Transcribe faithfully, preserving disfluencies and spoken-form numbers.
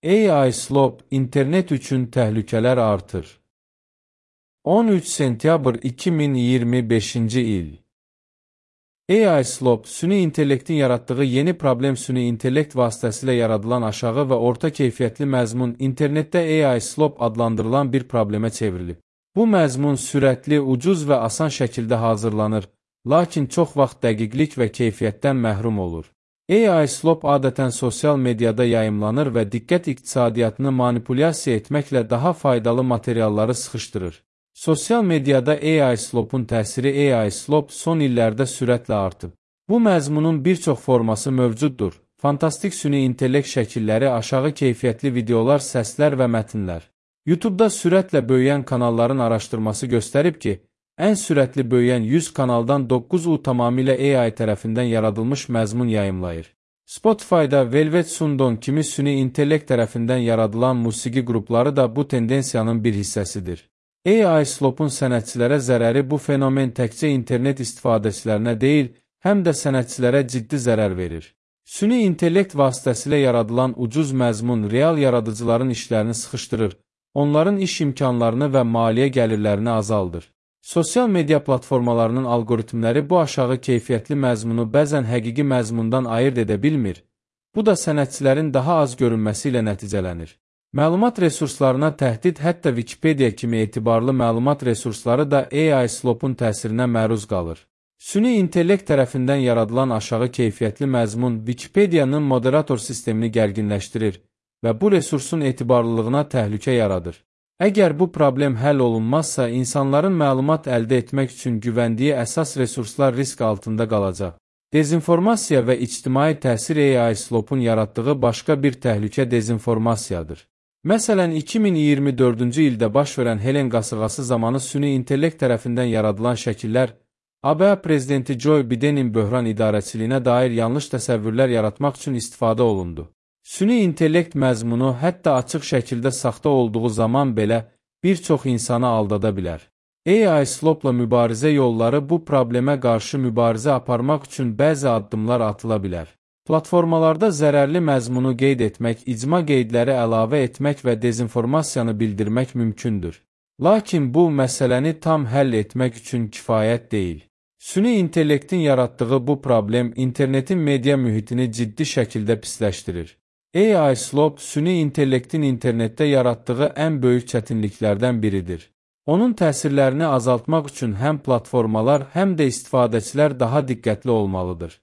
A I slop, internet üçün təhlükələr artır. on üç sentyabr iki min iyirmi beşinci il. A I slop, süni intellektin yaratdığı yeni problem süni intellekt vasitəsilə yaradılan aşağı və orta keyfiyyətli məzmun internetdə A I slop adlandırılan bir problemə çevrilib. Bu məzmun sürətli, ucuz və asan şəkildə hazırlanır, lakin çox vaxt dəqiqlik və keyfiyyətdən məhrum olur. A I slop adətən sosial mediada yayımlanır və diqqət iqtisadiyyatını manipulyasiya etməklə daha faydalı materialları sıxışdırır. Sosial mediada A I slopun təsiri A I slop son illərdə sürətlə artıb. Bu məzmunun bir çox forması mövcuddur. Fantastik süni intellekt şəkilləri, aşağı keyfiyyətli videolar, səslər və mətnlər. YouTube-da sürətlə böyüyən kanalların araşdırması göstərib ki, ən sürətli böyüyən yüz kanaldan doqquzu tamamilə A I tərəfindən yaradılmış məzmun yayımlayır. Spotify-da Velvet Sundon kimi süni intellekt tərəfindən yaradılan musiqi qrupları da bu tendensiyanın bir hissəsidir. A I slopun sənətçilərə zərəri bu fenomen təkcə internet istifadəçilərinə deyil, həm də sənətçilərə ciddi zərər verir. Süni intellekt vasitəsilə yaradılan ucuz məzmun real yaradıcıların işlərini sıxışdırır, onların iş imkanlarını və maliyyə gəlirlərini azaldır. Sosial media platformalarının algoritmləri bu aşağı keyfiyyətli məzmunu bəzən həqiqi məzmundan ayırt edə bilmir. Bu da sənətçilərin daha az görünməsi ilə nəticələnir. Məlumat resurslarına təhdid, hətta Wikipedia kimi etibarlı məlumat resursları da A I slopun təsirinə məruz qalır. Süni intellekt tərəfindən yaradılan aşağı keyfiyyətli məzmun Wikipedia'nın moderator sistemini gərginləşdirir və bu resursun etibarlılığına təhlükə yaradır. Əgər bu problem həll olunmazsa, insanların məlumat əldə etmək üçün güvəndiyi əsas resurslar risk altında qalacaq. Dezinformasiya və ictimai təsir A I slopun yaratdığı başqa bir təhlükə dezinformasiyadır. Məsələn, iki min iyirmi dördüncü ildə baş verən Helen qasırğası zamanı süni intellekt tərəfindən yaradılan şəkillər, A B A prezidenti Joe Bidenin böhran idarəçiliyinə dair yanlış təsəvvürlər yaratmaq üçün istifadə olundu. Süni intellekt məzmunu hətta açıq şəkildə saxta olduğu zaman belə bir çox insanı aldada bilər. A I slopla mübarizə yolları bu problemə qarşı mübarizə aparmaq üçün bəzi addımlar atıla bilər. Platformalarda zərərli məzmunu qeyd etmək, icma qeydləri əlavə etmək və dezinformasiyanı bildirmək mümkündür. Lakin bu məsələni tam həll etmək üçün kifayət deyil. Süni intellektin yaratdığı bu problem internetin media mühitini ciddi şəkildə pisləşdirir. A I slop, süni intellektin internetdə yaratdığı ən böyük çətinliklərdən biridir. Onun təsirlərini azaltmaq üçün həm platformalar, həm də istifadəçilər daha diqqətli olmalıdır.